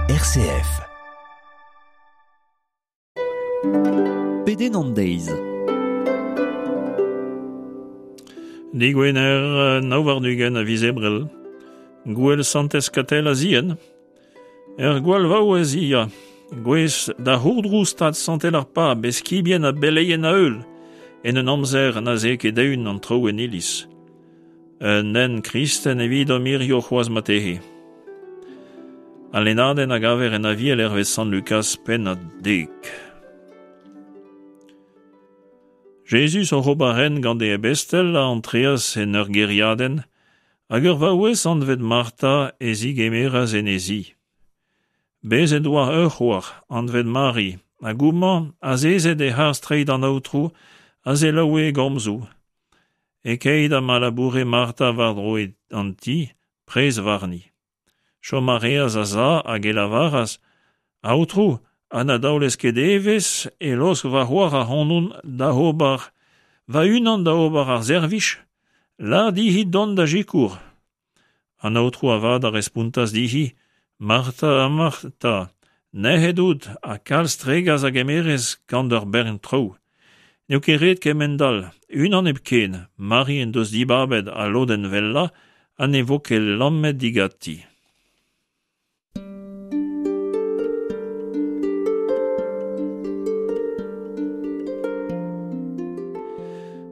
RCF. Pedenn an deiz. Digwener 29 a viz Ebrel. Gouel Santez Katell a Zien. Ur gwall vaouez hi ya. Gouez da c'hourdrouz tad santel ar pab, eskibien ha beleien a heul, en un amzer na 'z eo ket eeun an traoù en iliz. Un hent kristen evidomp hirio c'hoazh marteze. Al lennadenn a gaver en Aviel hervez Sant Lukaz pennad 10. Jezuz oc'h ober hent gant e ebestel a antreas en ur gêriadenn, hag ur vaouez anvet Marta e zigemeras en he zi. Bez' en doa ur c'hoar, anvet Mari, hag homañ, azezet e-harz treid an Aotrou, a selaoue e gomzoù. E-keit ha ma laboure Marta war-dro an ti, prez warni. Chom a reas a-za hag e lavaras: Aotrou, ha na daolez ket evezh e laosk va c'hoar ac'hanon da ober va-unan da ober ar servij? Lâr dezhi dont da sikour. An aotrou avat a respontas dezhi: Marta, Marta, nec'het out ha kalz tregas a gemerez gant ur bern traoù. N'eo ket ret kemend-all, unan hepken, Mari en deus dibabet al lodenn wellañ ha ne vo ket lammet diganti.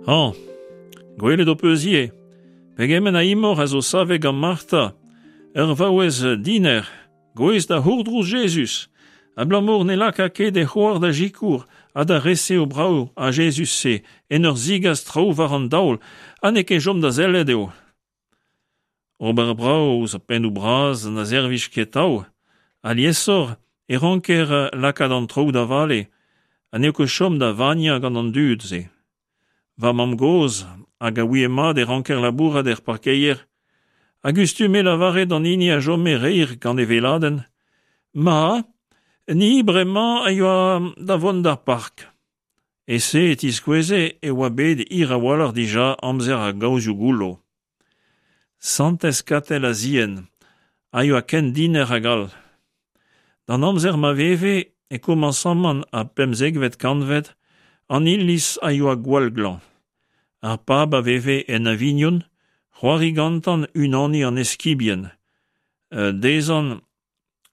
Hañ, gwelet ho peus ivez pegement a imor a zo savet gant Marta, ur vaouez diner, gouest da c'hourdrouz Jezuz, abalamour ne laka ket e c'hoar da sikour ha da resev brav ar Jezuz-se en ur zigas traoù war an daol ha n'eo ket chom da sellet eo. Ober brav ouzh ar pennoù bras na servij ket atav. Aliesoc'h e ranker lakaat an traoù da vale ha n'eo ket chom da vagnañ gant an dud-se. Va mamm-gozh, hag a ouie mat e ranker labourat er parkeier, a gustume lavaret d'an hini a chome reir gant e weladenn: Ma, ni bremañ a yoa da vont d'ar park. E-se e tiskoueze e oa bet hir a-walc'h dija amzer ar gaozioù goullo. Santez Katell a Zien a yoa ken diner hag all. D'an amzer ma veve e komañsamant ar pemzekvet kantved, an iliz a yoa gwall glañv. Ar pab a veve en Avignon, c'hoari gantañ unaniñ an eskibien. Dezhañ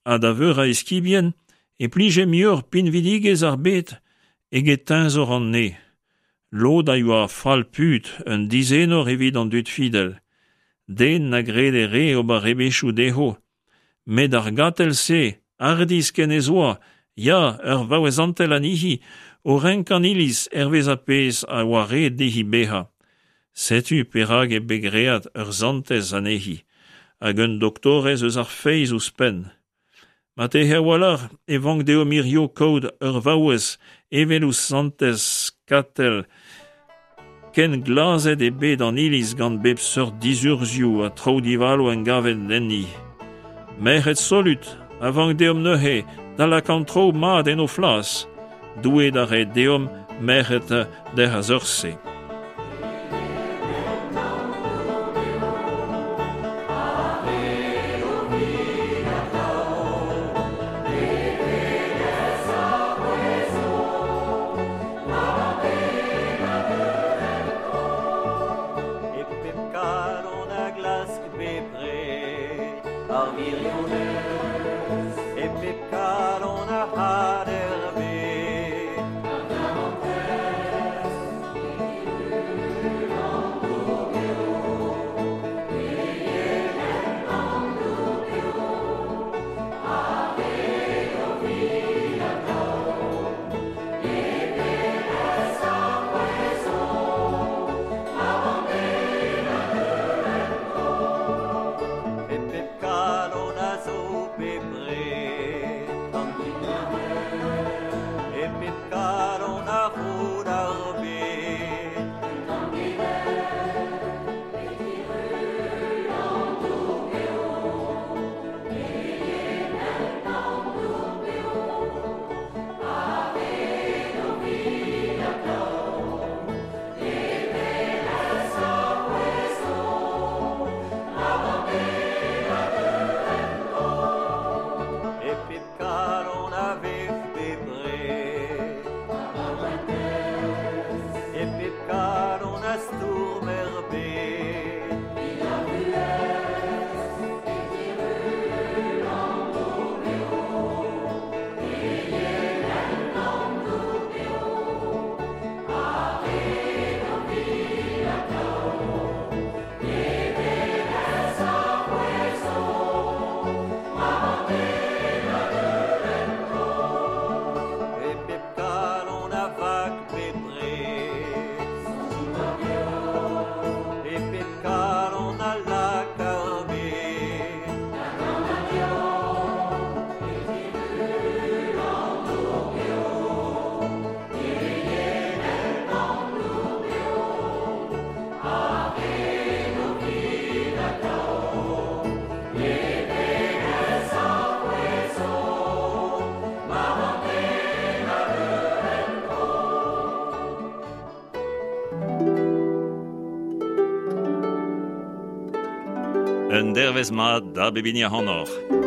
ha da veur a eskibien e plije muioc'h pinvidigezh ar bed eget teñzor an neñv. Lod a yoa fall-put, un dizenor evit an dud fidel. Den na grede re ober rebechoù dezho. Met ar gatell-se, hardizh ken ez oa, ya, ur vaouez santel anezhi, o renkañ an iliz hervez ar pezh a oa ret dezhi bezañ. Setu perak eo bet graet ur santez anezhi, hag un doktorez eus ar feiz ouzhpenn. Marteze a-walc'h e vank deomp hiziv kaout ur vaouez evel ouzh santez Katell, ken glazet eo bet an iliz gant bep seurt dizurzhioù ha traoù divalo engavet enni. Merc'hed solut a vank deomp neuze da lakaat an traoù mat en o flas. Doue da reiñ deomp merc'hed d'hec'h a-seurt-se. E pep kalon a glask bepred ar wirionez, e pep kalon a had er bed. Ar garantez, E pep kalon a zo bepred an E pep kalon a roud ar bed. Un dervezh mat da bep hini ac'hanoc'h.